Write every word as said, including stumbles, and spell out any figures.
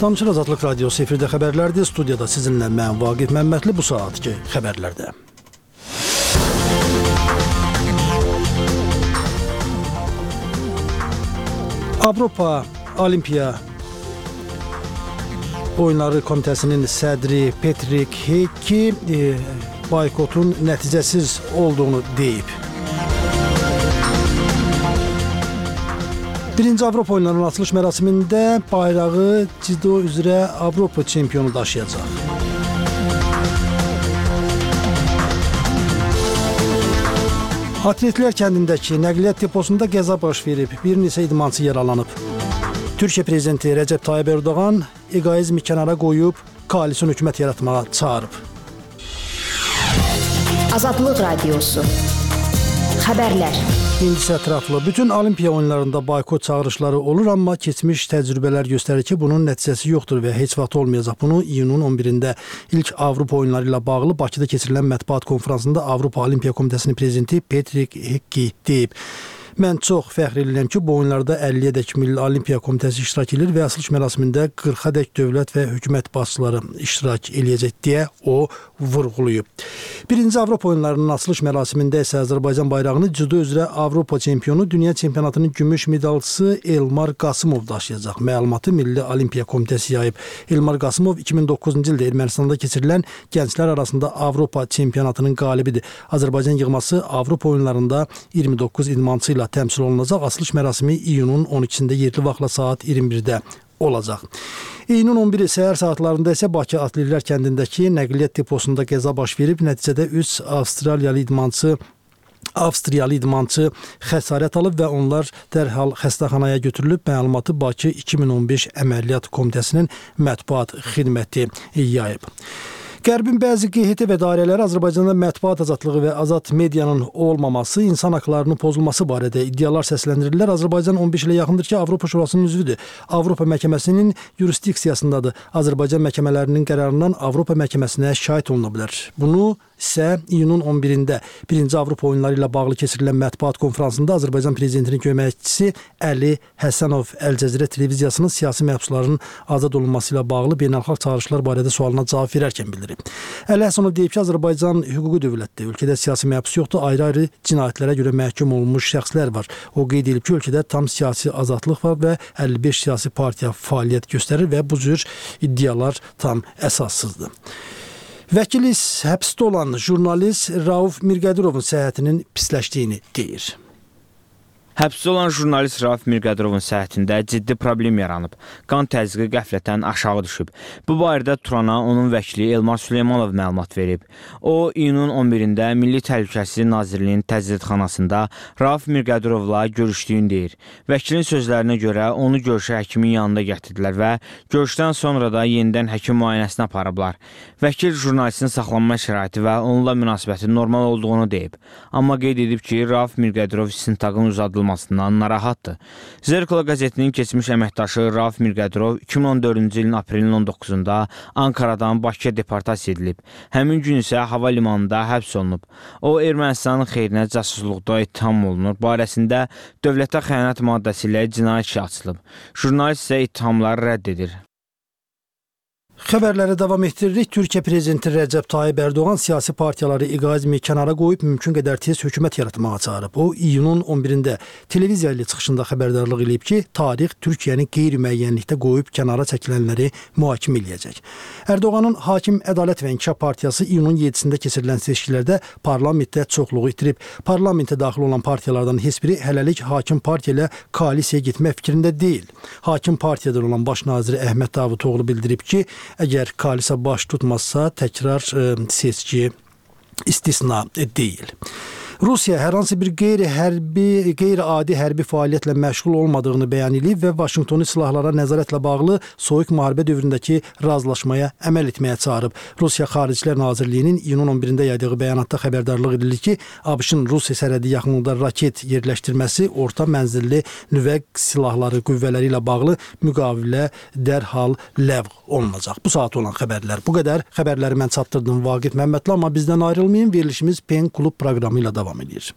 Salamçılar, Azadlıq Radiosu efirdə xəbərlərdir. Studiyada sizinlə mən Vaqif Məmmədli. Bu saatki xəbərlərdə. Avropa Olimpiya Oyunları Komitəsinin sədri Petrik Heki e, boykotun nəticəsiz olduğunu deyib. Birinci Avropa Oyunlarının açılış mərasimində bayrağı cido üzrə Avropa çempionu daşıyacaq. Atletlər kəndindəki nəqliyyat deposunda qəza baş verib, bir neçə idmançı yaralanıb. Türkiyə prezidenti Rəcəb Tayyip Erdoğan egoizmi kənara qoyub, koalisyon hökumət yaratmağa çağırıb. Azadlıq Radiosu Xəbərlər. İndisi ətraflı. Bütün Olimpiya oyunlarında boykot çağırışları olur, amma keçmiş təcrübələr göstərir ki, bunun nəticəsi yoxdur və heç vaxt olmayacaq. Bunu iyunun on birində ilk Avropa oyunları ilə bağlı Bakıda keçirilən mətbuat konfransında Avropa Olimpiya Komitəsinin prezidenti Petrik Heki deyib. Mən çox fəxr edirəm ki, bu oyunlarda əlliyə-dək Milli Olimpiya Komitəsi iştirak edir və açılış mərasimində qırxa-dək dövlət və hökumət başçıları iştirak eləyəcək deyə o vurğulayıb. Birinci Avropa oyunlarının açılış mərasimində isə Azərbaycan bayrağını cido üzrə Avropa çempionu, dünya çempionatının gümüş medalçısı Elmar Qasımov daşıyacaq. Məlumatı Milli Olimpiya Komitəsi yayıb. Elmar Qasımov iki min doqquzuncu ildə Ermənistanda keçirilən gənclər arasında Avropa çempionatının qalibidir. Azərbaycan yığması Avropa oyunlarında iyirmi doqquz idmançı ilə təmsil olunacaq. Açılış mərasimi iyunun on ikisində yerli vaxtla saat iyirmi birdə olacaq. İyunun on biri səhər saatlarında isə Bakı Atletlər kəndindəki nəqliyyat deposunda qəza baş verib. Nəticədə üç Avstraliyalı idmançı Avstriyalı idmançı xəsarət alıb və onlar dərhal xəstəxanaya götürülüb. Məlumatı Bakı iki min on beş Əməliyyat Komitəsinin mətbuat xidməti yayıb. Qərbin bəzi Q H T və dairələri Azərbaycanda mətbuat azadlığı və azad medianın olmaması, insan haqlarının pozulması barədə iddialar səsləndirirlər. Azərbaycan on beş ilə yaxındır ki, Avropa Şurasının üzvüdür. Avropa məhkəməsinin yurisdiksiyasındadır. Azərbaycan məhkəmələrinin qərarından Avropa məhkəməsinə şahid oluna bilər. Bunu isə iyunun on birində birinci Avropa oyunları ilə bağlı keçirilən mətbuat konfransında Azərbaycan prezidentinin köməkçisi Əli Həsənov Əl-Cəzirə televiziyasının siyasi məhbusların azad olunması ilə bağlı beynəlxalq çağırışlar barədə sualına cavab verərkən bildirib. Əli Həsənov deyib ki, Azərbaycan hüquqi dövlətdir. Ölkədə siyasi məhbus yoxdur, ayrı-ayrı cinayətlərə görə məhkum olunmuş şəxslər var. O qeyd edib ki, ölkədə tam siyasi azadlıq var və əlli beş siyasi partiya fəaliyyət göstərir və bu cür iddialar tam əsassızdır. Vəkiliz həbsdə olan jurnalist Rauf Mirqədirovun səhhətinin pisləşdiyini deyir. Həbsdə olan jurnalist Rauf Mirqədirovun səhhətində ciddi problem yaranıb. Qan təzyiqi qəflətən aşağı düşüb. Bu barədə Turana onun vəkili Elmar Süleymanov məlumat verib. O, iyunun on birində Milli Təhlükəsizlik Nazirliyinin təcridxanasında Rauf Mirqədirovla görüşdüyünü deyir. Vəkilin sözlərinə görə onu görüşə həkimin yanında gətirdilər və görüşdən sonra da yenidən həkim müayinəsinə aparıblar. Vəkil jurnalistin saxlanma şəraiti və onunla münasibətin normal olduğunu deyib. Amma qeyd edib ki, Rauf Mirqədirov istintaqın uzadılmasından narahatdır. Zerkala qəzetinin keçmiş əməkdaşı Rauf Mirqədirov iki min on dördüncü ilin aprelin on doqquzunda Ankaradan Bakıya deportasiya edilib. Həmin gün isə hava limanında həbs olunub. O, Ermənistanın xeyrinə casusluqda ittiham olunur. Barəsində dövlətə xəyanət maddəsi ilə cinayət işi açılıb. Jurnalist isə ittihamları rədd edir. Xəbərləri davam etdiririk. Türkiyə prezidenti Rəcəb Tayyip Erdoğan siyasi partiyaları egoizmi kənara qoyub mümkün qədər tez hökumət yaratmağa çağırıb. O, iyunun on birində televiziya ilə çıxışında xəbərdarlıq edib ki, tarix Türkiyəni qeyri-müəyyənlikdə qoyub kənara çəkilənləri mühakimə eləyəcək. Erdoğanın Hakim Ədalət və İnkişaf Partiyası iyunun yedisində keçirilən seçkilərdə parlamentdə çoxluğu itirib. Parlamentə daxil olan partiyalardan heç biri hələlik hakim partiya ilə koalisiyaya getmək fikrində deyil. Hakim partiyadan olan baş naziri Əhməd Davutoğlu bildirib ki, əgər koalisiya baş tutmazsa təkrar e, seçki istisna deyil. Rusiya hər hansı bir qeyri-hərbi, qeyri-adi hərbi fəaliyyətlə məşğul olmadığını bəyan edib və Vaşinqtonu silahlara nəzarətlə bağlı soyuq müharibə dövründəki razılaşmaya əməl etməyə çağırıb. Rusiya Xaricilər Nazirliyinin iyunun on birində yaydığı bəyanatda xəbərdarlıq edilir ki, ABŞ-ın Rusiya sərhədi yaxınlığında raket yerləşdirməsi orta mənzilli nüvə silahları qüvvələri ilə bağlı müqavilə dərhal ləğv olunacaq. Bu saat olan xəbərlər bu qədər. Xəbərləri mən çatdırdım Vaqif Məmmədli, amma bizdən ayrılmayın. Verilişimiz Pen Klub proqramı ilə davam edir.